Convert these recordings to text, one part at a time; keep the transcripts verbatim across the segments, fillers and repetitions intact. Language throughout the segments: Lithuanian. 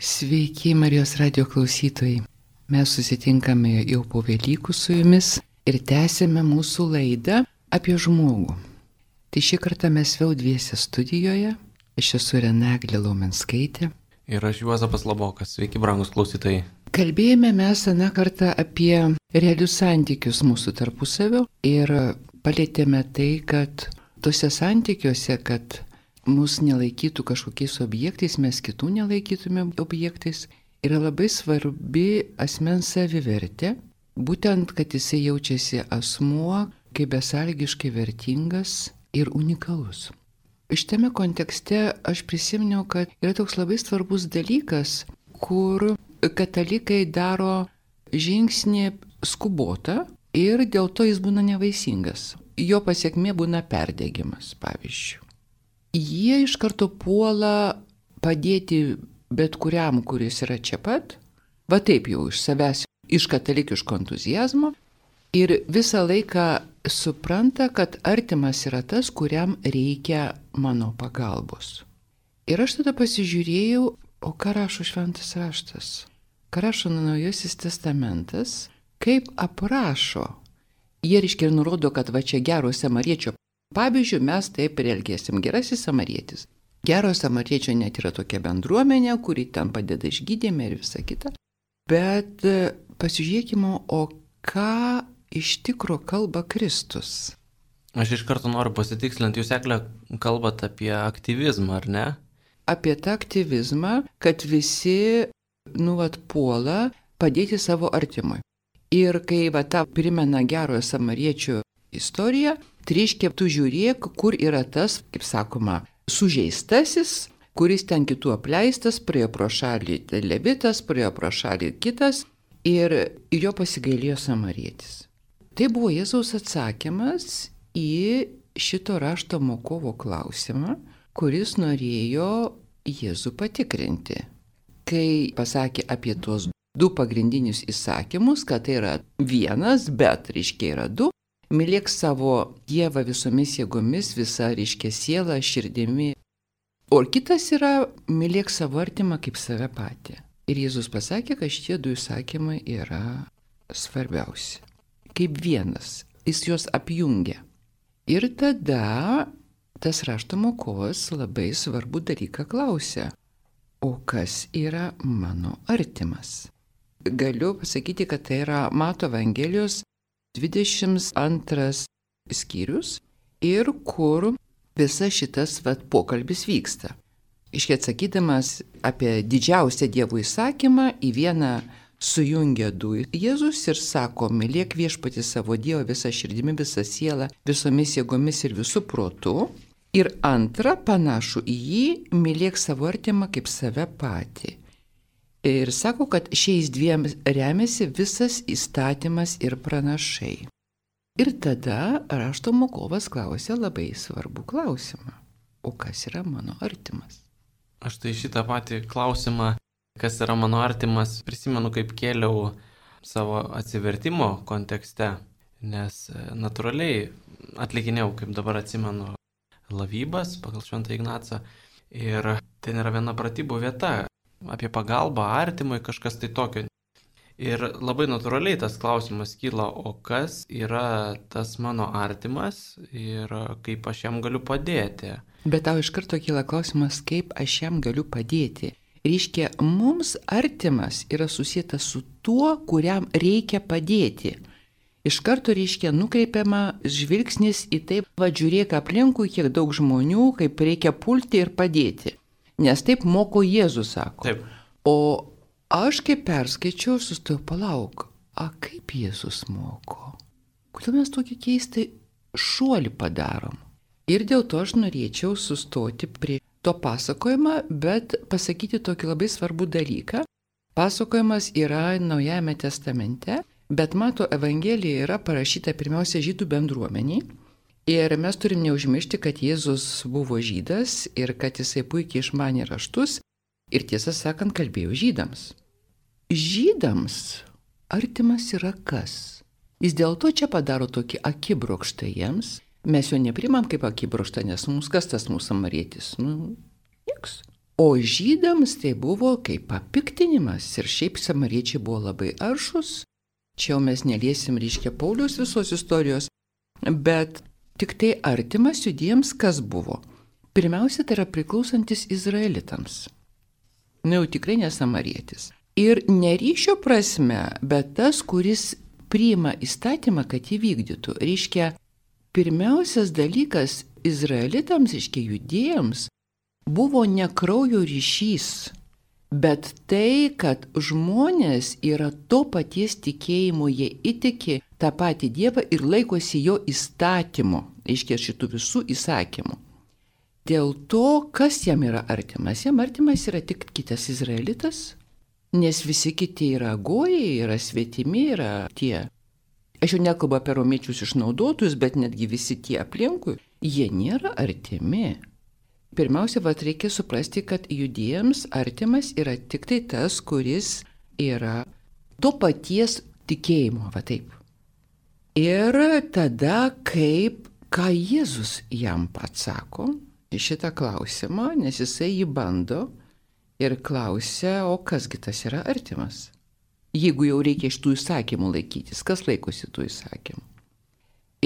Sveiki, Marijos radio klausytojai. Mes susitinkame jau po Velykų su jumis ir tęsėme mūsų laidą apie žmogų. Tai šį kartą mes vėl dviese studijoje. Aš esu Renaglė Laumenskaitė. Ir aš Juozapas Labokas. Sveiki, brangus klausytojai. Kalbėjome mes aną kartą apie realius santykius mūsų tarpusavio ir palėtėme tai, kad tose santykiuose, kad mus nelaikytų kažkokiais objektais, mes kitų nelaikytume objektais, yra labai svarbi asmens savivertė, būtent, kad jisai jaučiasi asmuo kaip besąlygiškai vertingas ir unikalus. Šitame kontekste aš prisiminiau, kad yra toks labai svarbus dalykas, kur katalikai daro žingsnį skubotą ir dėl to jis būna nevaisingas. Jo pasiekmė būna perdegimas, pavyzdžiui. Jie iš karto puola padėti bet kuriam, kuris yra čia pat, va taip jau iš savęs, iš katalikiško entuzijazmo, ir visą laiką supranta, kad artimas yra tas, kuriam reikia mano pagalbos. Ir aš tada pasižiūrėjau, o ką rašo Šventas raštas, ką rašo Naujasis testamentas, kaip aprašo. Jie reiškia ir nurodo, kad va čia gero samariečio pavyzdžiui, mes taip ir elgėsim. Gerasis samarietis. Gero samariečio net yra tokia bendruomenė, kuri ten padeda išgydėme ir visa kita. Bet pasižiūrėkime, o ką iš tikro kalba Kristus? Aš iš karto noriu pasitikslinti, jūs, Egle, kalbat apie aktyvizmą, ar ne? Apie tą aktyvizmą, kad visi, nu, vat, puola padėti savo artimui. Ir kai va tą primena gerojo samariečio istoriją, tai reiškia, tu žiūrėk, kur yra tas, kaip sakoma, sužeistasis, kuris ten kitų apleistas, praėjo pro šalį levitas, praėjo pro šalį kitas ir, ir jo pasigailėjo samarietis. Tai buvo Jėzaus atsakymas į šito rašto mokovo klausimą, kuris norėjo Jėzų patikrinti. Kai pasakė apie tuos du pagrindinius įsakymus, kad tai yra vienas, bet reiškia yra du, mylėk savo Dievą visomis jėgomis, visa reiškia siela, širdimi. O kitas yra mylėk savo artimą kaip save patį. Ir Jėzus pasakė, kad šitie du įsakymai yra svarbiausi. Kaip vienas. Jis juos apjungia. Ir tada tas rašto mokovas labai svarbų dalyką klausia. O kas yra mano artimas? Galiu pasakyti, kad tai yra Mato Evangelijos dvidešimt antras skyrius ir kur visas šitas vat, pokalbis vyksta. Iškiai atsakydamas apie didžiausią Dievo įsakymą, į vieną sujungia du Jėzus ir sako, mylėk viešpatį savo Dievą visą širdimi, visą sielą, visomis jėgomis ir visų protų. Ir antra, panašu į jį, mylėk savo artimą kaip save patį. Ir sako, kad šiais dviem remiasi visas įstatymas ir pranašai. Ir tada rašto mokovas klausė labai svarbų klausimą. O kas yra mano artimas? Aš tai šitą patį klausimą, kas yra mano artimas, prisimenu, kaip kėliau savo atsivertimo kontekste, nes natūraliai atlikinėjau, kaip dabar atsimenu, lavybas pagal Šventą Ignacą. Ir ten yra viena pratybų vieta. Apie pagalbą artimui, kažkas tai tokio. Ir labai natūraliai tas klausimas kyla, o kas yra tas mano artimas ir kaip aš jam galiu padėti. Bet tau iš karto kyla klausimas, kaip aš jam galiu padėti. Reiškia, mums artimas yra susietas su tuo, kuriam reikia padėti. Iš karto reiškia nukreipiama žvilgsnis į taip, va žiūrėk aplinkui, kiek daug žmonių, kaip reikia pulti ir padėti. Nes taip moko Jėzus, sako. Taip. O aš kaip perskaičiau, sustojau, palauk, a kaip Jėzus moko? Kodėl mes tokį keistą šuolį padarom? Ir dėl to aš norėčiau sustoti prie to pasakojimą, bet pasakyti tokį labai svarbų dalyką. Pasakojimas yra Naujajame testamente, bet Mato Evangelija yra parašyta pirmiausia žydų bendruomeniai. Ir mes turim neužmiršti, kad Jėzus buvo žydas ir kad jisai puikiai išmanė raštus ir tiesą sakant kalbėjo žydams. Žydams artimas yra kas? Jis dėl to čia padaro tokį akibrokštą jiems. Mes jo neprimam kaip akibrokštą, nes mums kas tas mūsų samarietis? Nu, nieks. O žydams tai buvo kaip papiktinimas ir šiaip samariečiai buvo labai aršus. Čia jau mes neliesim, reiškia, Pauliaus visos istorijos, bet tik tai artimas judiems kas buvo. Pirmiausia, tai yra priklausantis izraelitams. Na jau tikrai ne samarietis. Ir ne ryšio prasme, bet tas, kuris priima įstatymą, kad jį vykdytų. Reiškia, pirmiausias dalykas izraelitams, reiškia, judėjams, buvo ne kraujo ryšys, bet tai, kad žmonės yra to paties tikėjimo, jie įtiki tą patį Dievą ir laikosi jo įstatymo, reiškia, šitų visų įsakymų. Dėl to, kas jam yra artimas? Jam artimas yra tik kitas izraelitas, nes visi kiti yra gojai, yra svetimi, yra tie. Aš jau nekalbu apie romiečius išnaudotojus, bet netgi visi tie aplinkui, jie nėra artimi. Pirmiausia, vat reikia suprasti, kad judėjams artimas yra tik tai tas, kuris yra to paties tikėjimo, va taip. Ir tada, kaip, ką Jėzus jam pats sako į šitą klausimą, nes jisai jį bando ir klausia, o kasgi tas yra artimas? Jeigu jau reikia iš tų įsakymų laikytis, kas laikosi tų įsakymų?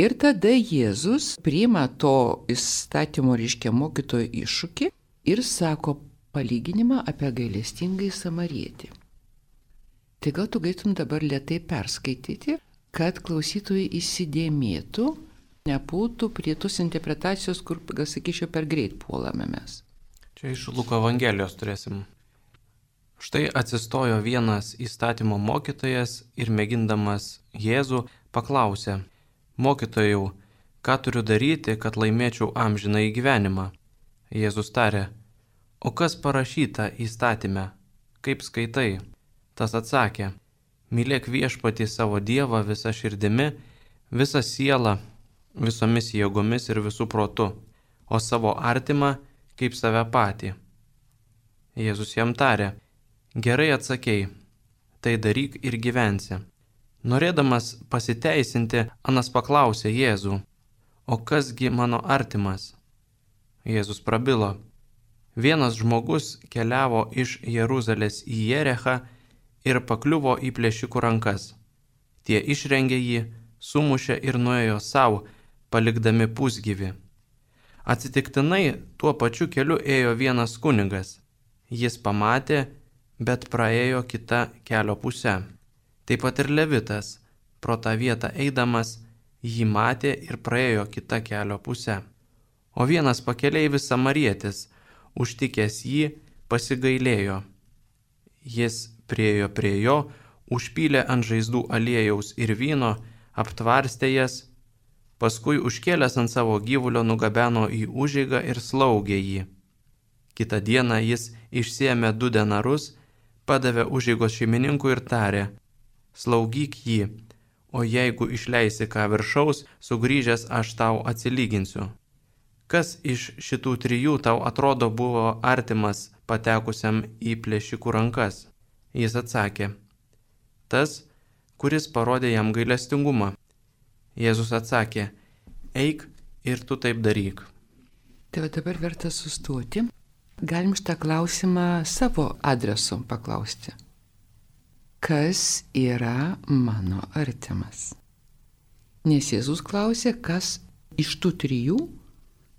Ir tada Jėzus priima to įstatymo, reiškia, mokytojo iššūkį ir sako palyginimą apie gailestingąjį samarietį. Tai gal tu galėtum dabar lėtai perskaityti, kad klausytojai įsidėmėtų, nepultų prie tos interpretacijos, kur, gal sakyčiau, per greit puolame mes. Čia iš Luko Evangelijos turėsim. Štai atsistojo vienas įstatymo mokytojas ir mėgindamas Jėzų paklausė: Mokytojau, ką turiu daryti, kad laimėčiau amžinąjį gyvenimą? Jėzus tarė: O kas parašyta įstatyme? Kaip skaitai? Tas atsakė: Mylėk viešpatį savo Dievą visą širdimi, visą sielą, visomis jėgomis ir visų protu, o savo artimą kaip save patį. Jėzus jam tarė: Gerai atsakei, tai daryk ir gyvensi. Norėdamas pasiteisinti, Anas paklausė Jėzų: O kasgi mano artimas? Jėzus prabilo: Vienas žmogus keliavo iš Jeruzalės į Jerechą ir pakliuvo į plėšikų rankas. Tie išrengė jį, sumušė ir nuėjo savo, palikdami pusgyvį. Atsitiktinai tuo pačiu keliu ėjo vienas kunigas. Jis pamatė, bet praėjo kita kelio pusę. Taip pat ir Levitas, pro tą vietą eidamas, jį matė ir praėjo kita kelio pusę. O vienas pakeleivis samarietis, užtikęs jį, pasigailėjo. Jis priėjo prie jo, užpylė ant žaizdų aliejaus ir vyno, aptvarstė jas, paskui užkėlęs ant savo gyvulio nugabeno į užeigą ir slaugė jį. Kitą dieną jis išsiėmė du denarus, padavė užeigos šeimininkui ir tarė: Slaugyk jį, o jeigu išleisi ką viršaus, sugrįžęs aš tau atsilyginsiu. Kas iš šitų trijų tau atrodo buvo artimas patekusiam į plėšikų rankas? Jis atsakė: Tas, kuris parodė jam gailestingumą. Jėzus atsakė: Eik ir tu taip daryk. Tai va dabar verta sustoti. Galim šitą klausimą savo adresu paklausti. Kas yra mano artimas? Nes Jėzus klausė, kas iš tų trijų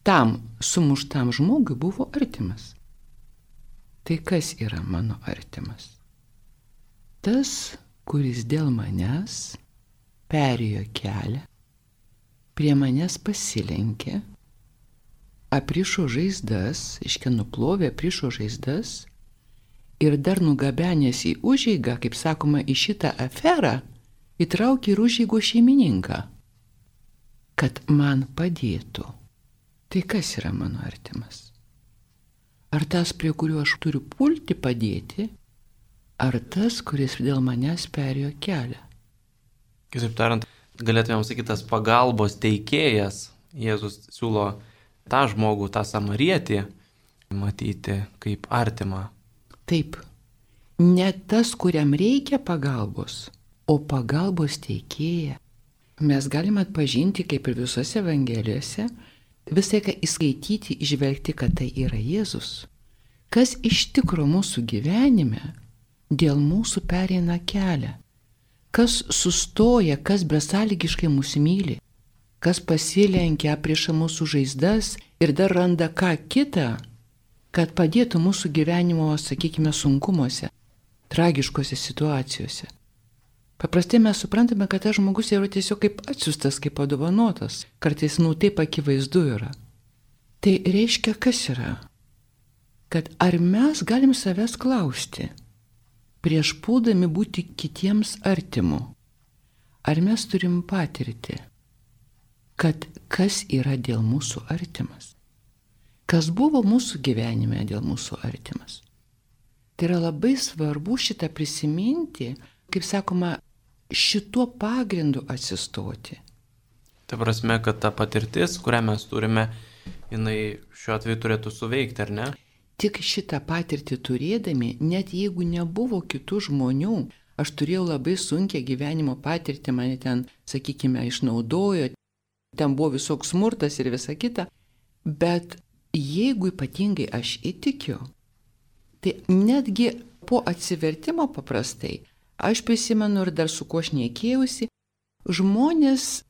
tam sumuštam žmogui buvo artimas. Tai kas yra mano artimas? Tas, kuris dėl manęs perėjo kelią, prie manęs pasilenkė, aprišo žaizdas, iškia nuplovė, aprišo žaizdas ir dar nugabenęs į užeigą, kaip sakoma, į šitą aferą, įtraukė ir užeigos šeimininką, kad man padėtų. Tai kas yra mano artimas? Ar tas, prie kurio aš turiu pulti padėti, ar tas, kuris dėl manęs perėjo kelią? Kitaip tariant, galėtumėm sakyti, tas pagalbos teikėjas, Jėzus siūlo tą žmogų, tą samarietį, matyti kaip artimą. Taip, ne tas, kuriam reikia pagalbos, o pagalbos teikėja. Mes galime atpažinti, kaip ir visose Evangelijose, visai ką įskaityti, išvelgti, kad tai yra Jėzus. kas iš tikro mūsų gyvenime dėl mūsų pereina kelią, kas sustoja, kas besąlygiškai mūsų myli, kas pasilenkia prieš mūsų žaizdas ir dar randa ką kitą, kad padėtų mūsų gyvenimo, sakykime, sunkumuose, tragiškose situacijose. Paprastai mes suprantame, kad tas žmogus yra tiesiog kaip atsiųstas, kaip padovanotas. Kartais, nu, taip akivaizdu yra. Tai reiškia, kas yra? Kad ar mes galim savęs klausti, prieš puldami būti kitiems artimu, ar mes turim patirti, kad kas yra dėl mūsų artimas? Kas buvo mūsų gyvenime dėl mūsų artimas? Tai yra labai svarbu šitą prisiminti, kaip sakoma, šituo pagrindu atsistoti. Ta prasme, kad ta patirtis, kurią mes turime, jinai šiuo atveju turėtų suveikti, ar ne? Tik šitą patirtį turėdami, net jeigu nebuvo kitų žmonių, aš turėjau labai sunkią gyvenimo patirtį, mane ten, sakykime, išnaudojo, ten buvo visoks smurtas ir visa kita, bet jeigu ypatingai aš įtikiu, tai netgi po atsivertimo paprastai, aš prisimenu ir dar su kuo šnekėjausi, žmonės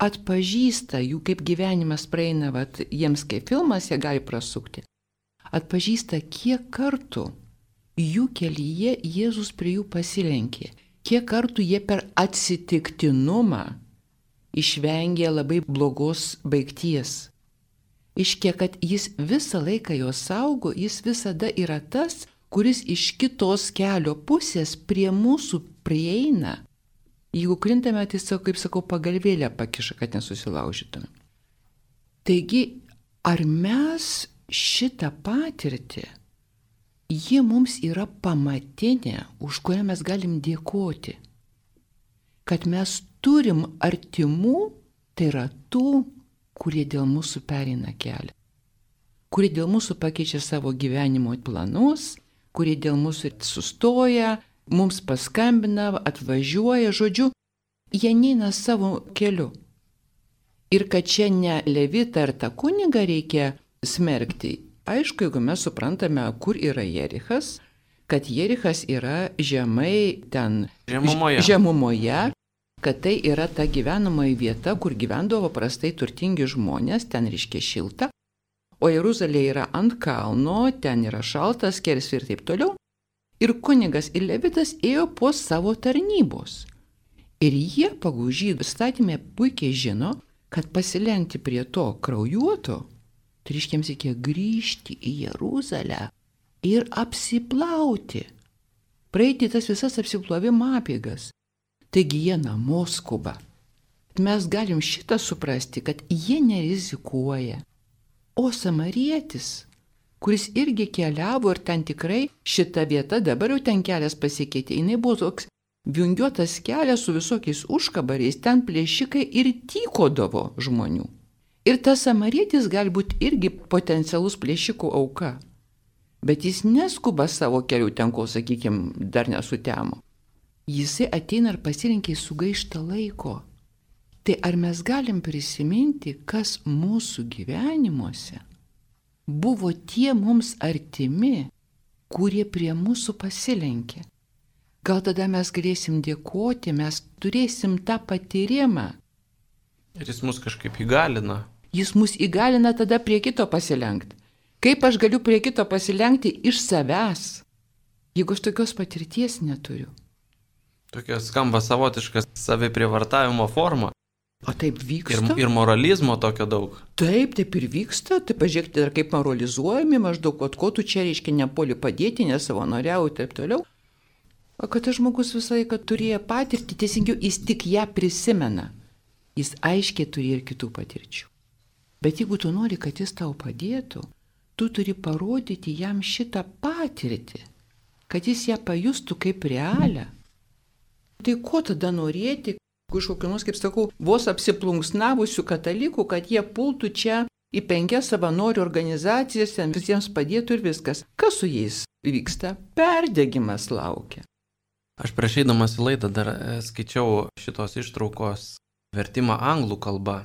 atpažįsta jų, kaip gyvenimas praeina, vat, jiems kaip filmas, jie gali prasukti, atpažįsta, kiek kartų jų kelyje Jėzus prie jų pasilenkė, kiek kartų jie per atsitiktinumą išvengė labai blogos baigties. Iškia, kad jis visą laiką jo saugo, jis visada yra tas, kuris iš kitos kelio pusės prie mūsų prieina. Jeigu krintame, tai, kaip sakau, pagalvėlę pakiša, kad nesusilaužytume. Taigi, ar mes šitą patirtį, ji mums yra pamatinė, už kurią mes galim dėkoti, kad mes turim artimų, tai yra tų, kurie dėl mūsų pereina kelią, kurie dėl mūsų pakeičia savo gyvenimo planus, kurie dėl mūsų sustoja, mums paskambina, atvažiuoja, žodžiu, jie neina savo keliu. Ir kad čia ne Levitą ar tą kunigą reikia smerkti, aišku, jeigu mes suprantame, kur yra Jerichas, kad Jerichas yra žemai ten žemumoje. žemumoje kad tai yra ta gyvenamoji vieta, kur gyvendavo paprastai turtingi žmonės, ten reiškia šilta, o Jeruzalė yra ant kalno, ten yra šaltas, skersvė ir taip toliau. Ir kunigas ir Levitas ėjo po savo tarnybos. Ir jie pagal žydų įstatymę puikiai žino, kad pasilenkti prie to kraujuoto, tai reiškia, jiems reikia grįžti į Jeruzalę ir apsiplauti, praeiti tas visas apsiplovimo apeigas. Taigi jie namo skuba. Mes galim šitą suprasti, kad jie nerizikuoja. O samarietis, kuris irgi keliavo ir ten tikrai šita vieta, dabar jau ten kelias pasikeitė, jinai buvo toks vingiuotas kelias su visokiais užkabariais, ten plėšikai ir tykodavo žmonių. Ir tas samarietis gali būti irgi potencialus plėšikų auka. Bet jis neskuba savo kelių ten, kol, sakykime, dar nesutemo. Jisai ateina ir pasirinkė sugaištą laiko. Tai ar mes galim prisiminti, kas mūsų gyvenimuose buvo tie mums artimi, kurie prie mūsų pasilenkė? Gal tada mes galėsim dėkoti, mes turėsim tą patyrimą. Ir jis mus kažkaip įgalina. Jis mus įgalina tada prie kito pasilenkti. Kaip aš galiu prie kito pasilenkti iš savęs, jeigu aš tokios patirties neturiu? Tokia skamba savotiška saviprievartavimo forma. O taip vyksta. Ir, ir moralizmo tokio daug. Taip, taip ir vyksta. Tai pažiūrėkite, dar kaip moralizuojami, maždaug, ko tu čia reiškia nepoli padėti, nesavanoriauji ir taip toliau. O kad tas žmogus visą laiką turėjo patirtį, teisingiau, jis tik ją prisimena. Jis aiškiai turi ir kitų patirčių. Bet jeigu tu nori, kad jis tau padėtų, tu turi parodyti jam šitą patirtį, kad jis ją pajustų kaip realią. Tai ko tada norėti, iš kokių nors, kaip sakau, vos apsiplunksnavusių katalikų, kad jie pultų čia į penkias savanorių organizacijas, ten visiems padėtų ir viskas. Kas su jais vyksta? Perdegimas laukia. Aš prieš eidamas į laidą dar skaičiau šitos ištraukos vertimą anglų kalba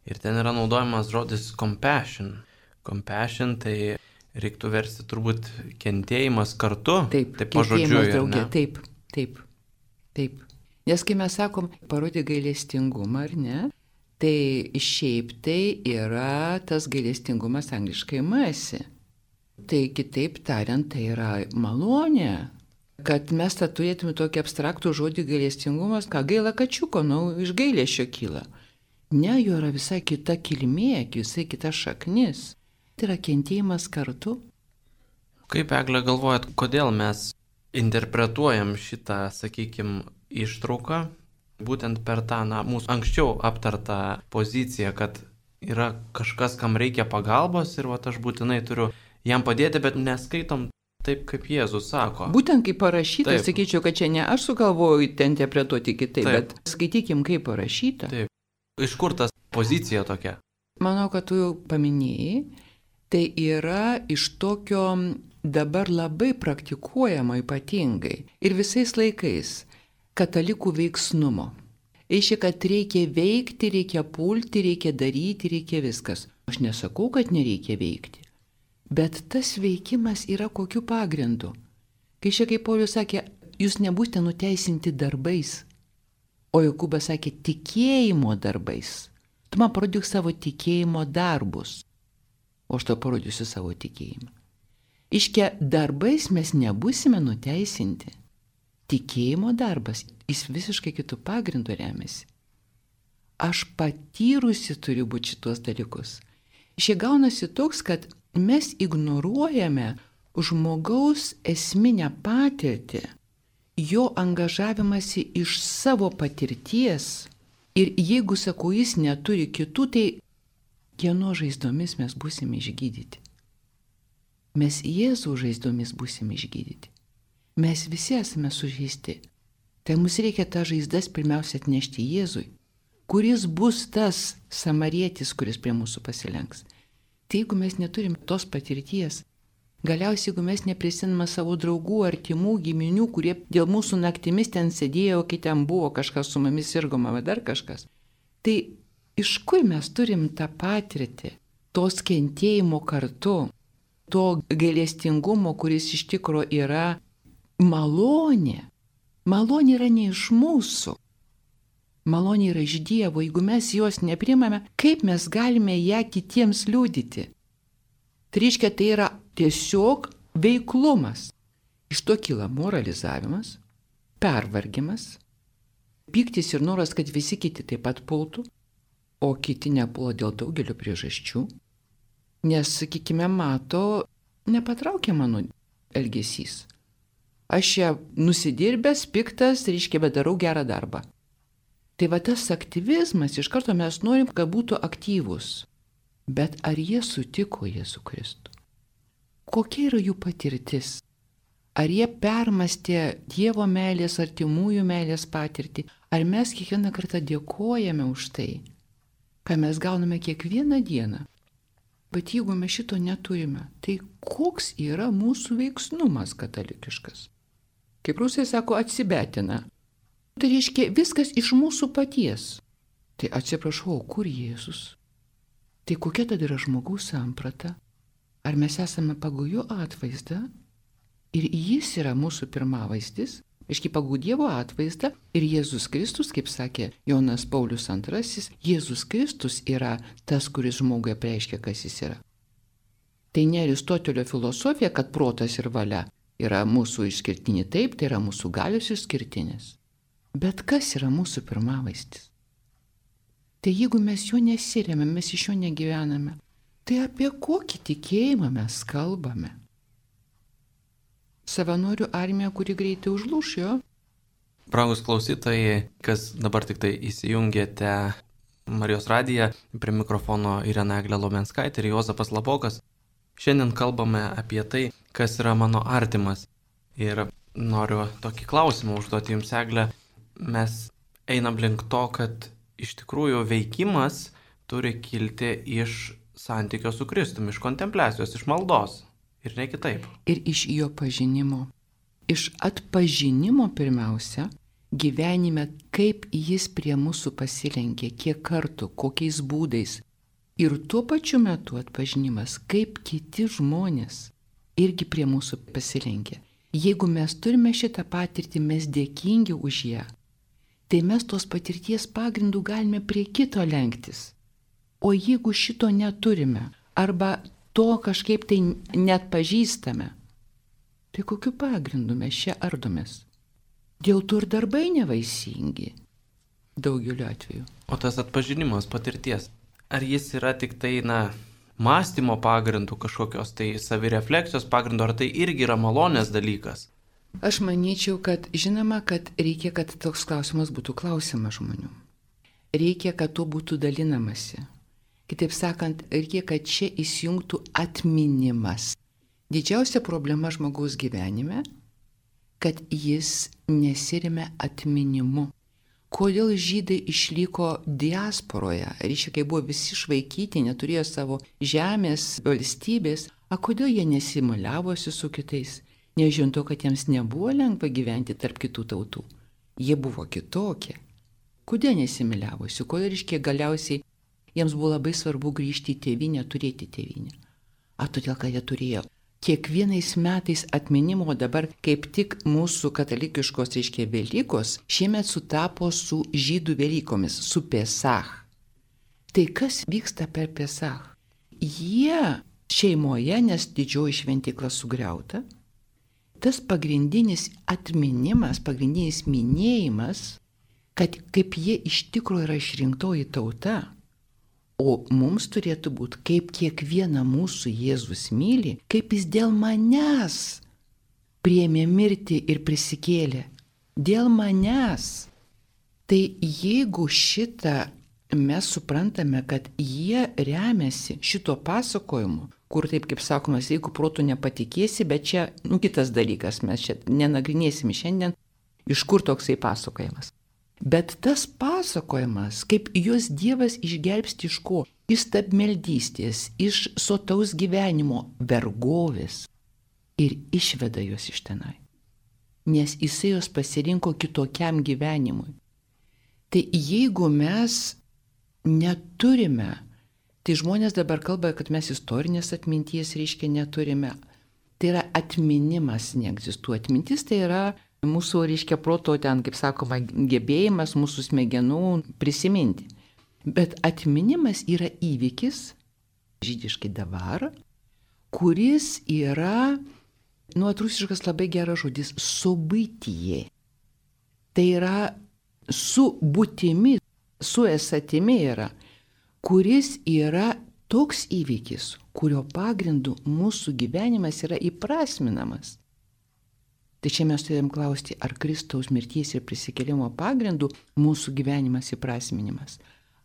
ir ten yra naudojamas žodis compassion. Compassion tai reiktų versti turbūt kentėjimas kartu. Taip, taip pažodžiui, draugė, taip, taip, taip. Nes kai mes sakom, parodė gailestingumą, ar ne, tai šiaip tai yra tas gailestingumas angliškai mercy. Tai kitaip tariant, tai yra malonė. Kad mes tą turėtume tokį abstraktų žodį gailestingumas, ką gaila kačiuko, nu, iš gailesčio kyla. Ne, jo yra visai kita kilmė, visai kita šaknis. Tai yra kentėjimas kartu. Kaip, Egle, galvojat, kodėl mes interpretuojam šitą, sakykime, ištrauką būtent per tą, na, mūsų anksčiau aptartą poziciją, kad yra kažkas, kam reikia pagalbos ir va, aš būtinai turiu jam padėti, bet neskaitom taip, kaip Jėzus sako. Būtent kaip parašyta, taip. Sakyčiau, kad čia ne aš sugalvoju ten interpretuoti kitaip, taip. Bet skaitykim, kaip parašyta. Taip. Iš kur tas pozicija tokia? Manau, kad tu jau paminėjai, tai yra iš tokio dabar labai praktikuojamo ypatingai ir visais laikais katalikų veiksnumo. Reiškia, kad reikia veikti, reikia pulti, reikia daryti, reikia viskas. Aš nesakau, kad nereikia veikti. Bet tas veikimas yra kokiu pagrindu. Kai šia, kaip Paulius sakė, jūs nebūsite nuteisinti darbais, o Jokūbas sakė tikėjimo darbais. Tu man parodyk savo tikėjimo darbus, o aš to parodysiu savo tikėjimą. Iškia, darbais mes nebūsime nuteisinti. Tikėjimo darbas, jis visiškai kitų pagrindų remiasi. Aš patyrusi turiu būti šitos dalykus. Šie gaunasi toks, kad mes ignoruojame žmogaus esminę patirtį, jo angažavimąsi iš savo patirties ir jeigu, sakau, jis neturi kitų, tai kieno žaizdomis mes būsime išgydyti. Mes Jėzų žaizdomis būsime išgydyti. Mes visi esame sužeisti. Tai mums reikia tą žaizdas pirmiausia atnešti Jėzui, kuris bus tas samarietis, kuris prie mūsų pasilenks. Tai jeigu mes neturim tos patirties, galiausiai jeigu mes neprisimame savo draugų, artimų, giminių, kurie dėl mūsų naktimis ten sėdėjo, kai ten buvo kažkas su mumis sirgoma, ar dar kažkas, tai iš kur mes turim tą patirtį, tos kentėjimo kartu, to gailestingumo, kuris iš tikro yra malonė. Malonė yra ne iš mūsų. Malonė yra iš Dievo. Jeigu mes jos neprimame, kaip mes galime ją kitiems liudyti? Tai reiškia, tai yra tiesiog veiklumas. Iš to kyla moralizavimas, pervargimas, pyktis ir noras, kad visi kiti taip pat pultų, o kiti nepuola dėl daugelio priežasčių. Nes, sakykime, mato, nepatraukia mano elgesys. Aš čia nusidirbęs, piktas, reiškia, bet darau gerą darbą. Tai va tas aktyvizmas, iš karto mes norim, kad būtų aktyvus. Bet ar jie sutiko Jėzų Kristų? Kokia yra jų patirtis? Ar jie permastė Dievo meilės, artimųjų meilės patirtį? Ar mes kiekvieną kartą dėkojame už tai, ką mes gauname kiekvieną dieną? Bet jeigu mes šito neturime, tai koks yra mūsų veiksnumas katalikiškas? Kaip rusai sako, atsibetina. Tai reiškia viskas iš mūsų paties. Tai atsiprašau, kur Jėzus? Tai kokia tada yra žmogaus samprata? Ar mes esame pagal jo atvaizdą? Ir jis yra mūsų pirmavaizdis, aiškiai pagal Dievo atvaizdą. Ir Jėzus Kristus, kaip sakė Jonas Paulius antrasis, Jėzus Kristus yra tas, kuris žmogui apreiškia, kas jis yra. Tai ne Aristotelio filosofija, kad protas ir valia yra mūsų išskirtiniai, taip, tai yra mūsų galios išskirtinis. Bet kas yra mūsų pirmavaizdis? Tai jeigu mes jo nesirėmėme, mes iš jo negyvename, tai apie kokį tikėjimą mes kalbame? Savanorių armija, kuri greitai užlūš jo. Brangus klausytojai, kas dabar tik tai įsijungėte Marijos radiją, prie mikrofono Irena Eglė Lomenskaitė ir Juozapas Labokas. Šiandien kalbame apie tai, kas yra mano artimas. Ir noriu tokį klausimą užduoti jums, Eglė. Mes einam link to, kad iš tikrųjų veikimas turi kilti iš santykio su Kristumi, iš kontempliacijos, iš maldos ir ne kitaip. Ir iš jo pažinimo. Iš atpažinimo pirmiausia, gyvenime, kaip jis prie mūsų pasilenkė, kiek kartų, kokiais būdais. Ir tuo pačiu metu atpažinimas, kaip kiti žmonės irgi prie mūsų pasilenkia. Jeigu mes turime šitą patirtį, mes dėkingi už ją, tai mes tos patirties pagrindų galime prie kito lenktis. O jeigu šito neturime, arba to kažkaip tai net pažįstame, tai kokiu pagrindu mes čia ardomės? Dėl to ir darbai nevaisingi daugeliu atveju. O tas atpažinimas patirties, ar jis yra tik tai, na, mąstymo pagrindų kažkokios, tai savirefleksijos pagrindų, ar tai irgi yra malonės dalykas? Aš manyčiau, kad žinoma, kad reikia, kad toks klausimas būtų klausimas žmonių. Reikia, kad tuo būtų dalinamasi. Kitaip sakant, reikia, kad čia įsijungtų atminimas. Didžiausia problema žmogaus gyvenime, kad jis nesiremia atminimu. Kodėl žydai išliko diasporoje, reiškia, kai buvo visi išvaikyti, neturėjo savo žemės, valstybės, a kodėl jie nesimaliavosi su kitais? Nežiūrint to, kad jiems nebuvo lengva gyventi tarp kitų tautų. Jie buvo kitokie. Kodėl nesimaliavosi? Kodėl, reiškia, galiausiai jiems buvo labai svarbu grįžti į tėvynę, turėti tėvynę? A todėl, kad jie turėjo kiekvienais metais atminimo, dabar kaip tik mūsų katalikiškos, reiškia, Velykos šiemet sutapo su žydų Velykomis, su Pesach. Tai kas vyksta per Pesach? Jie šeimoje, nes didžioji šventykla sugriauta, tas pagrindinis atminimas, pagrindinis minėjimas, kad kaip jie iš tikrųjų yra išrinktoji tauta, o mums turėtų būti, kaip kiekvieną mūsų Jėzus myli, kaip jis dėl manęs priėmė mirtį ir prisikėlė. Dėl manęs. Tai jeigu šitą mes suprantame, kad jie remiasi šito pasakojimu, kur taip kaip sakomas, jeigu protų nepatikėsi, bet čia, nu, kitas dalykas, mes čia nenagrinėsim šiandien, iš kur toksai pasakojimas. Bet tas pasakojimas, kaip juos Dievas išgelbsti iš ko? Iš stabmeldystės, iš sotaus gyvenimo, vergovės ir išveda juos iš tenai. Nes jisai juos pasirinko kitokiam gyvenimui. Tai jeigu mes neturime, tai žmonės dabar kalba, kad mes istorinės atminties, reiškia, neturime. Tai yra atminimas neegzistuoja. Atmintis tai yra mūsų, reiškia, proto ten, kaip sakoma, gebėjimas mūsų smegenų prisiminti. Bet atminimas yra įvykis, žydiškai davar, kuris yra, nu, atrusiškas labai geras žodis, subytyje. Tai yra su būtimi, su esatimi yra, kuris yra toks įvykis, kurio pagrindu mūsų gyvenimas yra įprasminamas. Tai čia mes turėjom klausti, ar Kristaus mirties ir prisikėlimo pagrindų mūsų gyvenimas įprasminimas.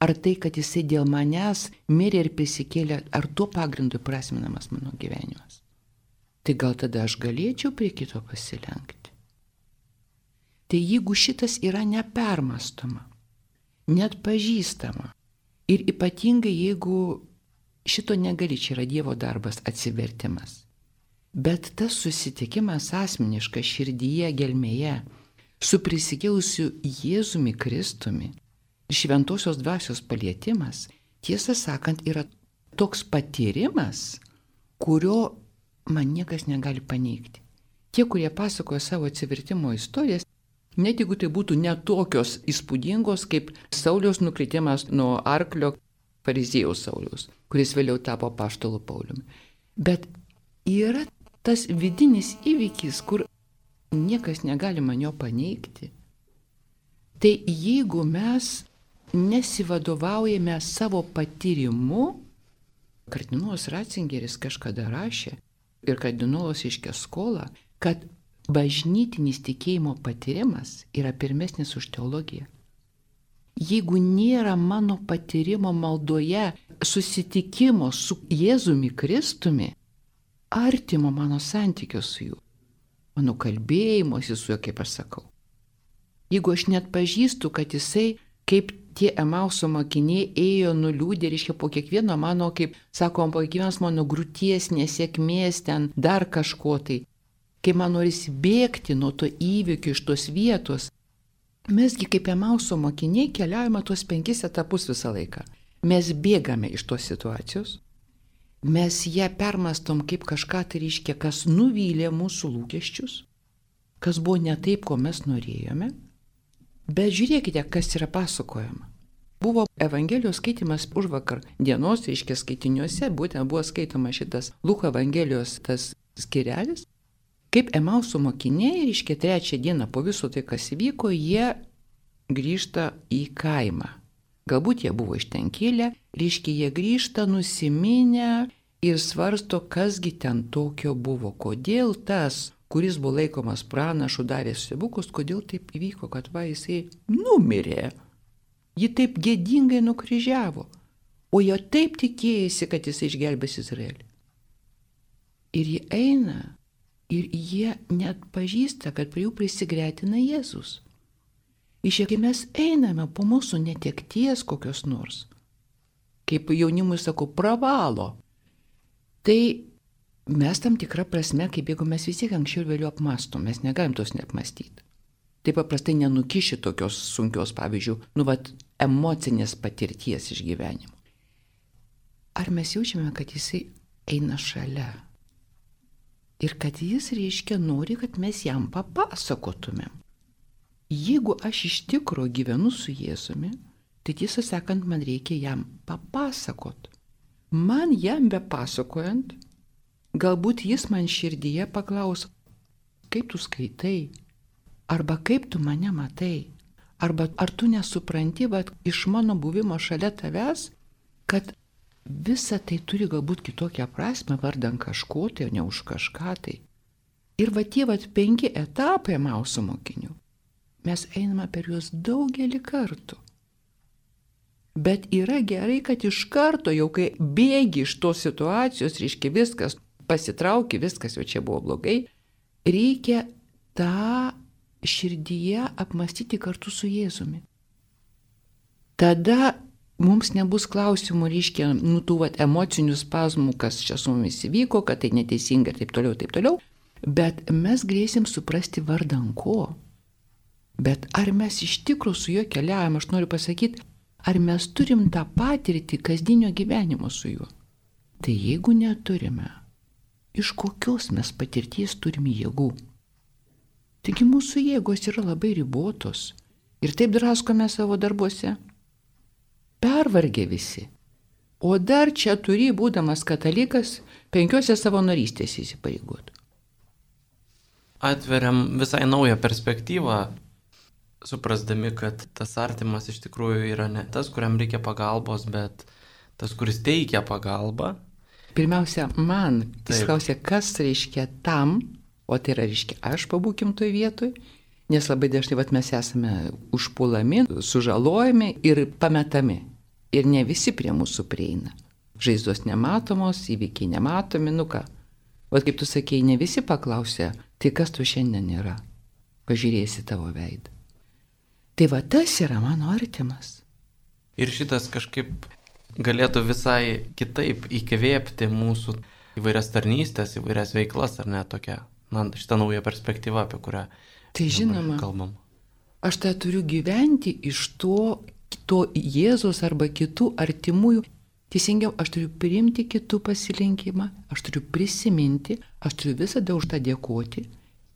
Ar tai, kad jisai dėl manęs mirė ir prisikėlė, ar tuo pagrindu įprasminamas mano gyvenimas. Tai gal tada aš galėčiau prie kito pasilenkti. Tai jeigu šitas yra nepermastoma, net pažįstama, ir ypatingai jeigu šito negali, čia yra Dievo darbas, atsivertimas. Bet tas susitikimas asmeniškas širdyje, gelmėje, su prisikėlusiu Jėzumi Kristumi, šventosios dvasios palietimas, tiesą sakant, yra toks patyrimas, kurio man niekas negali paneigti. Tie, kurie pasakoja savo atsivertimo istorijas, net jeigu tai būtų netokios įspūdingos, kaip Sauliaus nukritimas nuo arklio, fariziejaus Sauliaus, kuris vėliau tapo apaštalu Pauliumi. Bet yra tas vidinis įvykis, kur niekas negali man jo paneigti. Tai jeigu mes nesivadovaujame savo patyrimu, kardinolas Ratzingeris kažkada rašė ir kardinolas iškė skolą, kad bažnytinis tikėjimo patyrimas yra pirmesnis už teologiją. Jeigu nėra mano patyrimo maldoje, susitikimo su Jėzumi Kristumi, artimo mano santykio su juo, mano kalbėjimosi su juo, kaip aš sakau. Jeigu aš net pažįstu, kad jisai, kaip tie Emauso mokiniai, ėjo nuliūdę, reiškia, po kiekvieno mano, kaip sakom, po kiekvienos mano grūties, nesėkmės, ten dar kažko tai, kai man norisi bėgti nuo to įvykio iš tos vietos, mesgi kaip Emauso mokiniai keliaujame tuos penkis etapus visą laiką. Mes bėgame iš tos situacijos, mes ją permastom kaip kažką, tai reiškia, kas nuvylė mūsų lūkesčius, kas buvo ne taip, ko mes norėjome. Bet žiūrėkite, kas yra pasakojama. Buvo Evangelijos skaitimas už vakar dienos, reiškia skaitiniuose, būtent buvo skaitoma šitas Luko Evangelijos tas skirelis, kaip Emauso mokiniai, reiškia trečią dieną po viso tai, kas įvyko, jie grįžta į kaimą. Galbūt jie buvo iš ten kilę, reiškia jie grįžta nusiminę ir svarsto, kasgi ten tokio buvo, kodėl tas, kuris buvo laikomas pranašu, darė stebuklus, kodėl taip įvyko, kad va jisai numirė. Ji taip gėdingai nukryžiavo, o jo taip tikėjasi, kad jisai išgelbės Izraelį. Ir jie eina ir jie net pažįsta, kad prie jų prisigretina Jėzus. Iš kai mes einame po mūsų netekties kokios nors, kaip jaunimui sakau, pravalo, tai mes tam tikrą prasme, kaip jeigu mes visi anksčiau ir vėliau apmastom, mes negalim tos neapmastyti. Tai paprastai nenukiši tokios sunkios, pavyzdžiui, nu vat, emocinės patirties išgyvenimo. Ar mes jaučiame, kad jisai eina šalia? Ir kad jis, reiškia, nori, kad mes jam papasakotumėm. Jeigu aš iš tikro gyvenu su Jėzumi, tai tiesą sakant, man reikia jam papasakot. Man jam bepasakojant, galbūt jis man širdyje paklaus, kaip tu skaitai, arba kaip tu mane matai, arba ar tu nesupranti, bet iš mano buvimo šalia tavęs, kad visa tai turi galbūt kitokią prasme, vardan kažko, tai ne už kažką tai. Ir va tie va penki etapai Emauso mokinių. Mes einame per juos daugelį kartų. Bet yra gerai, kad iš karto, jau kai bėgi iš tos situacijos, reiškia viskas, pasitrauki, viskas jau čia buvo blogai, reikia tą širdyje apmastyti kartu su Jėzumi. Tada mums nebus klausimų, reiškia, nu tų vat, emocinių spazmų, kas čia su mumis įvyko, kad tai neteisinga ir taip toliau, taip toliau, bet mes galėsim suprasti vardan ko. Bet ar mes iš tikrųjų su juo keliaujam, aš noriu pasakyti, ar mes turim tą patirtį kasdienio gyvenimo su juo? Tai jeigu neturime, iš kokios mes patirties turime jėgų? Taigi mūsų jėgos yra labai ribotos ir taip draskome savo darbuose. Pervargę visi. O dar čia turi, būdamas katalikas, penkiose savanorystės įsipareigot. Atveriam visai naują perspektyvą, suprasdami, kad tas artimas iš tikrųjų yra ne tas, kuriam reikia pagalbos, bet tas, kuris teikia pagalbą. Pirmiausia, man, jis klausia, kas reiškia tam, o tai yra reiškia, aš pabūkim toj vietoj, nes labai dažnai vat, mes esame užpulami, sužalojami ir pametami. Ir ne visi prie mūsų prieina. Žaizdos nematomos, įvykiai nematomi, nu ką. O kaip tu sakėjai, ne visi paklausia, tai kas tu šiandien yra? Pažiūrėsi tavo veidą. Tai va tas yra mano artimas. Ir šitas kažkaip galėtų visai kitaip įkvėpti mūsų įvairias tarnystės, įvairias veiklas, ar ne tokia, na, šitą naują perspektyvą, apie kurią tai žinoma, kalbam. Aš tą turiu gyventi iš to, to Jėzus arba kitų artimųjų. Teisingiau, aš turiu priimti kitų pasilinkimą, aš turiu prisiminti, aš turiu visada už tą dėkoti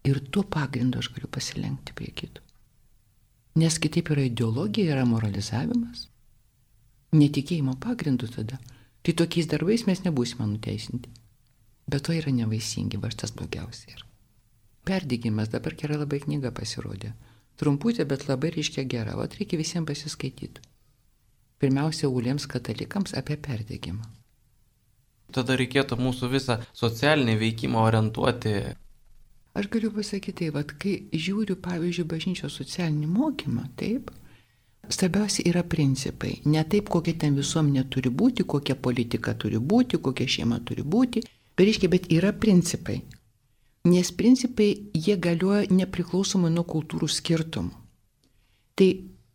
ir tuo pagrindu aš galiu pasilenkti prie kitų. Nes kitaip yra ideologija, yra moralizavimas. Netikėjimo pagrindu tada. Tai tokiais darbais mes nebūsime nuteisinti. Bet to yra nevaisingi, va tas blogiausia yra. Perdegimas, dabar gera labai knyga pasirodė. Trumputė, bet labai reiškia gera. O reikia visiems pasiskaityti. Pirmiausia, uoliems katalikams apie perdegimą. Tada reikėtų mūsų visą socialinį veikimą orientuoti. Aš galiu pasakyti, tai, vat, kai žiūriu, pavyzdžiui, bažnyčios socialinį mokymą, taip, svarbiausia yra principai. Ne taip, kokia ten visuomenė turi būti, kokia politika turi būti, kokia šeima turi būti, bet, reiškia, bet yra principai. Nes principai, jie galioja nepriklausomai nuo kultūrų skirtumų. Tai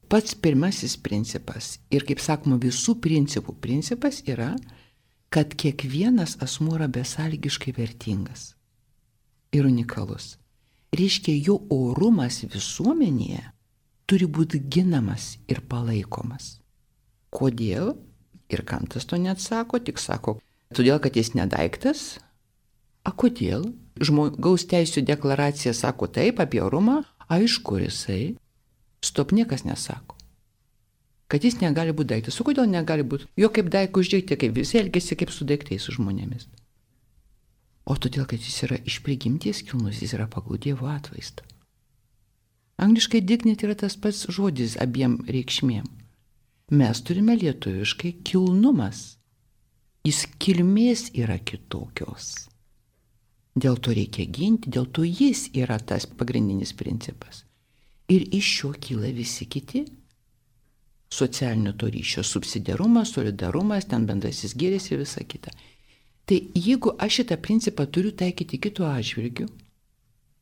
pats pirmasis principas ir, kaip sakoma, visų principų principas yra, kad kiekvienas asmuo yra besąlygiškai vertingas ir unikalus. Reiškia, jo orumas visuomenėje turi būti ginamas ir palaikomas. Kodėl? Ir Kantas to neatsako, tik sako, Todėl, kad jis nedaiktas. A kodėl? Žmogaus teisų deklaracija sako taip apie orumą, aišku, jisai. Stop, niekas nesako. Kad jis negali būti daiktas. O kodėl negali būti? Jo kaip daiktų uždėkti, kaip visi elgesi kaip su daiktais, su žmonėmis. O todėl, kad jis yra iš prigimties kilnus, jis yra pagal Dievo atvaizdą. Angliškai dignity yra tas pats žodis abiem reikšmėm. Mes turime lietuviškai kilnumas. Jis kilmės yra kitokios. Dėl to reikia ginti, dėl to jis yra tas pagrindinis principas. Ir iš šio kyla visi kiti. Socialinio to ryšio subsidiarumas, solidarumas, ten bendrasis gėris ir visa kita. Tai jeigu aš šitą principą turiu taikyti kitų atžvilgių,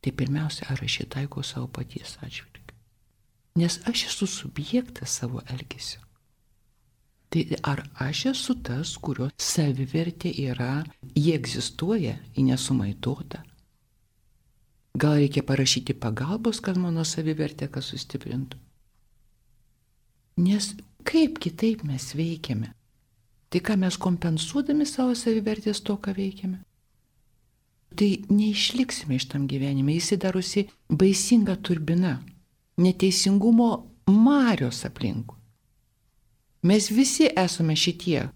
tai pirmiausia, ar aš jį taikau savo paties atžvilgiu. Nes aš esu subjektas savo elgesio. Tai ar aš esu tas, kurio savivertė yra, jie egzistuoja, ji nesumaitota. Gal reikia parašyti pagalbos, kad mano savivertė kas sustiprintų. Nes kaip kitaip mes veikiame? Tai ką mes kompensuodami savo savivertės to, ką veikiame? Tai neišliksime iš tam gyvenime, jis darosi baisinga turbina, neteisingumo marios aplinkui. Mes visi esame šitie,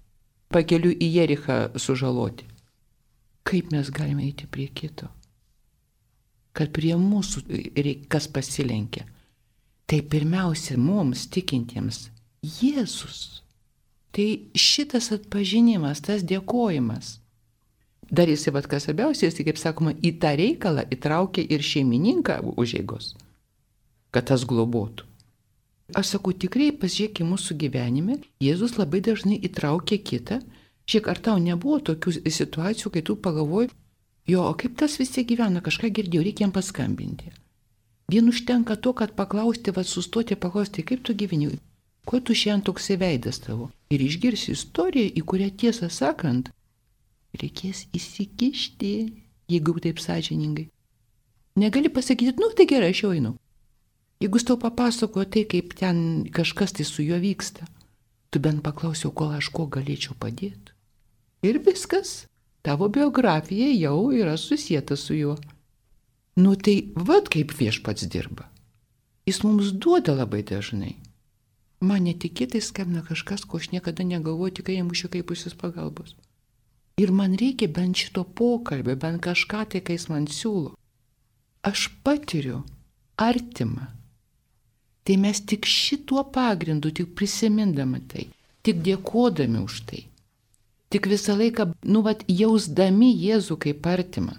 pakeliu į Jerichą sužaloti. Kaip mes galime eiti prie kito? Kad prie mūsų kas pasilenkia. Tai pirmiausia mums tikintiems Jėzus. Tai šitas atpažinimas, tas dėkojimas. Dar jis, vat, kas svarbiausia, jis, kaip sakoma, į tą reikalą įtraukia ir šeimininką užeigos, kad tas globotų. Aš sakau, tikrai pasižiūrėk į mūsų gyvenime, Jėzus labai dažnai įtraukia kitą. Šiek ar tau nebuvo tokių situacijų, kai tu pagalvoji, jo, o kaip tas visi gyvena, kažką girdėjau, reikia jam paskambinti. Vien užtenka to, kad paklausti, va sustoti, paklausti, kaip tu gyveni, kuo tu šiandien toksai veidas tavo. Ir išgirsi istoriją, į kurią tiesą sakant, reikės įsikišti, jeigu taip sąžiningai. Negali pasakyti, nu tai gerai, aš jau einu. Jeigu jis tau papasakojo tai, kaip ten kažkas tai su juo vyksta, tu bent paklausiau, kol aš ko galėčiau padėti. Ir viskas, tavo biografija jau yra susieta su juo. Nu tai vad kaip viešpats dirba. Jis mums duoda labai dažnai. Man netikėtai skambina kažkas, ko aš niekada negalvoju, tik jam už kaip pusis pagalbos. Ir man reikia bent šito pokalbio, bent kažką tai, kai jis man siūlo. Aš patiriu artimą. Tai mes tik šituo pagrindu, tik prisimindami tai, tik dėkodami už tai, tik visą laiką, nu, vat, jausdami Jėzų kaip artimą,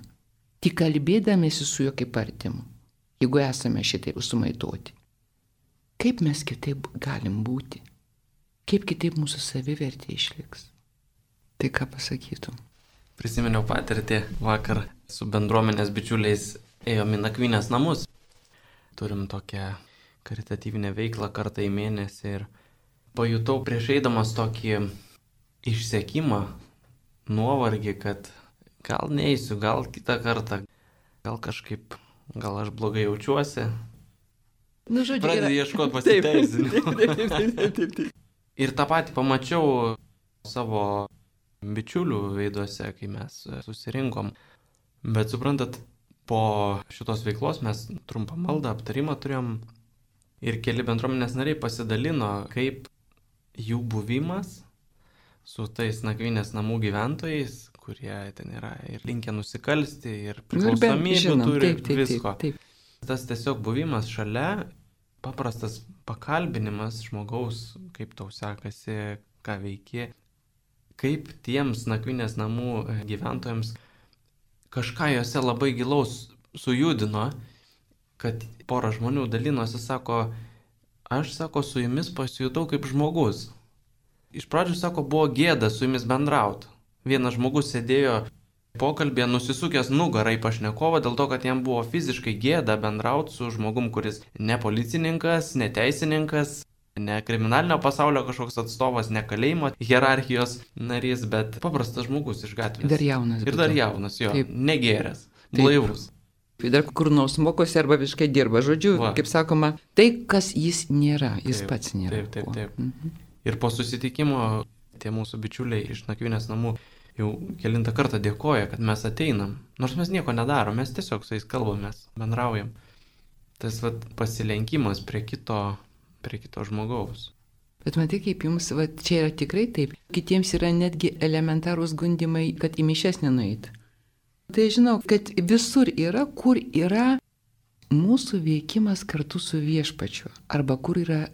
tik kalbėdamėsi su juo kaip artimu, jeigu esame šitaip sumaitoti. Kaip mes kitaip galim būti? Kaip kitaip mūsų savivertė išliks? Tai ką pasakytum? Prisiminiau patirtį, vakar su bendruomenės bičiuliais ėjom į nakvynės namus. Turim tokią karitatyvinę veiklą kartą į mėnesį ir pajutau prieš eidamas tokį išsekimą, nuovargį, kad gal neįsiu, gal kitą kartą, gal kažkaip, gal aš blogai jaučiuosi. Nu, žodžiu, pradedi ieškoti pasiteisinimų. Ir tą patį pamačiau savo bičiulių veiduose, kai mes susirinkom. Bet suprantat, po šitos veiklos mes trumpą maldą, aptarimą turėjom. Ir keli bendruomenės nariai pasidalino, kaip jų buvimas su tais nakvynės namų gyventojais, kurie ten yra ir linkę nusikalsti, ir priklausomybių turi, taip, taip, visko. Taip, taip. Tas tiesiog buvimas šalia, paprastas pakalbinimas žmogaus, kaip tau sekasi, ką veiki, kaip tiems nakvynės namų gyventojams kažką juose labai gilaus sujudino, kad pora žmonių dalinosi, sako, aš, sako, su jumis pasijutau kaip žmogus. Iš pradžių, sako, buvo gėda su jumis bendrauti. Vienas žmogus sėdėjo pokalbėje nusisukęs nugarą į pašnekovą dėl to, kad jam buvo fiziškai gėda bendrauti su žmogum, kuris ne policininkas, ne teisininkas, ne kriminalinio pasaulio kažkoks atstovas, ne kalėjimo hierarchijos narys, bet paprastas žmogus iš gatvės. Dar jaunas. Ir dar jaunas, jo, taip. Negėręs, blaivus. Dar kur nors mokosi arba visiškai dirba. Žodžiu, va. Kaip sakoma, tai, kas jis nėra, jis taip, pats nėra. Taip, taip, taip. Mhm. Ir po susitikimo tie mūsų bičiuliai iš nakvynės namų jau kelintą kartą dėkoja, kad mes ateinam. Nors mes nieko nedarom, mes tiesiog su jais kalbamės, bendraujam. Tas vat, pasilenkimas prie kito, prie kito žmogaus. Bet matai, kaip jums, va, čia yra tikrai taip. Kitiems yra netgi elementarūs gundimai, kad į mišias nenueit. Tai žinau, kad visur yra, kur yra mūsų veikimas kartu su viešpačiu. Arba kur yra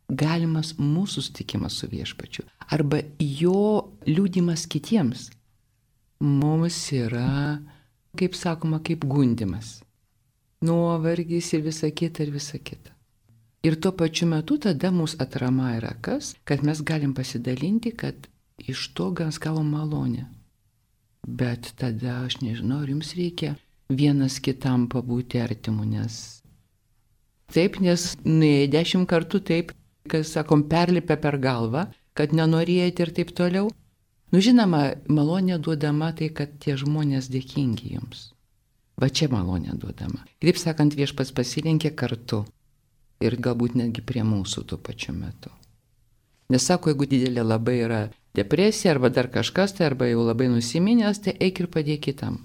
galimas mūsų sutikimas su viešpačiu. Arba jo liudimas kitiems. Mums yra, kaip sakoma, kaip gundimas. Nuovargis ir visa kita ir visa kita. Ir tuo pačiu metu tada mūsų atrama yra kas, kad mes galim pasidalinti, kad iš to gas gavom malonę. Bet tada aš nežinau, ar jums reikia vienas kitam pabūti artimu, nes taip, nes nuėję dešimt kartų taip, kas sakom, perlipę per galvą, kad nenorėti ir taip toliau. Nu žinoma, malonė duodama tai, kad tie žmonės dėkingi jums. Va čia malonė duodama. Kaip sakant, viešpats pasilenkė kartu. Ir galbūt netgi prie mūsų tuo pačiu metu. Nes sako, jeigu didelė labai yra depresija arba dar kažkas, tai arba jau labai nusiminęs, tai eik ir padėk kitam.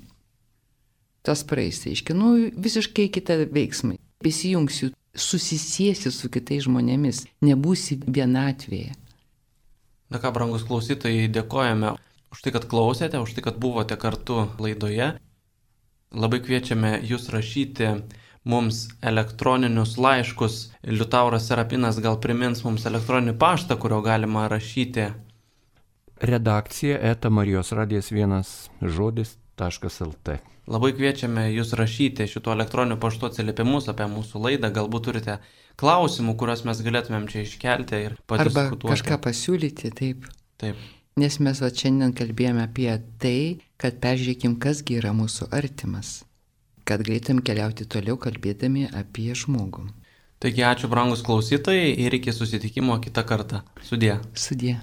Tas praeis, tai iški, nu visiškai kitą veiksmą. Prisijungsiu, susisiesi su kitais žmonėmis, nebūsi vienatvėje. Na ką, brangus klausytojai, dėkojame už tai, kad klausėte, už tai, kad buvote kartu laidoje. Labai kviečiame jūs rašyti mums elektroninius laiškus. Liutauras Serapinas gal primins mums elektroninį paštą, kurio galima rašyti. Redakcija eta Marijos radijas vienas žodis taškas lt. Labai kviečiame jūs rašyti šituo elektroniniu paštu atsiliepimus apie mūsų laidą. Galbūt turite klausimų, kuriuos mes galėtumėm čia iškelti ir padiskutuoti. Arba kažką pasiūlyti, taip. Taip. Nes mes va šiandien kalbėjome apie tai, kad peržiūrėkim, kasgi yra mūsų artimas. Kad galėtum keliauti toliau kalbėdami apie žmogų. Taigi ačiū, brangus klausytojai, ir iki susitikimo kitą kartą. Sudie. Sudie.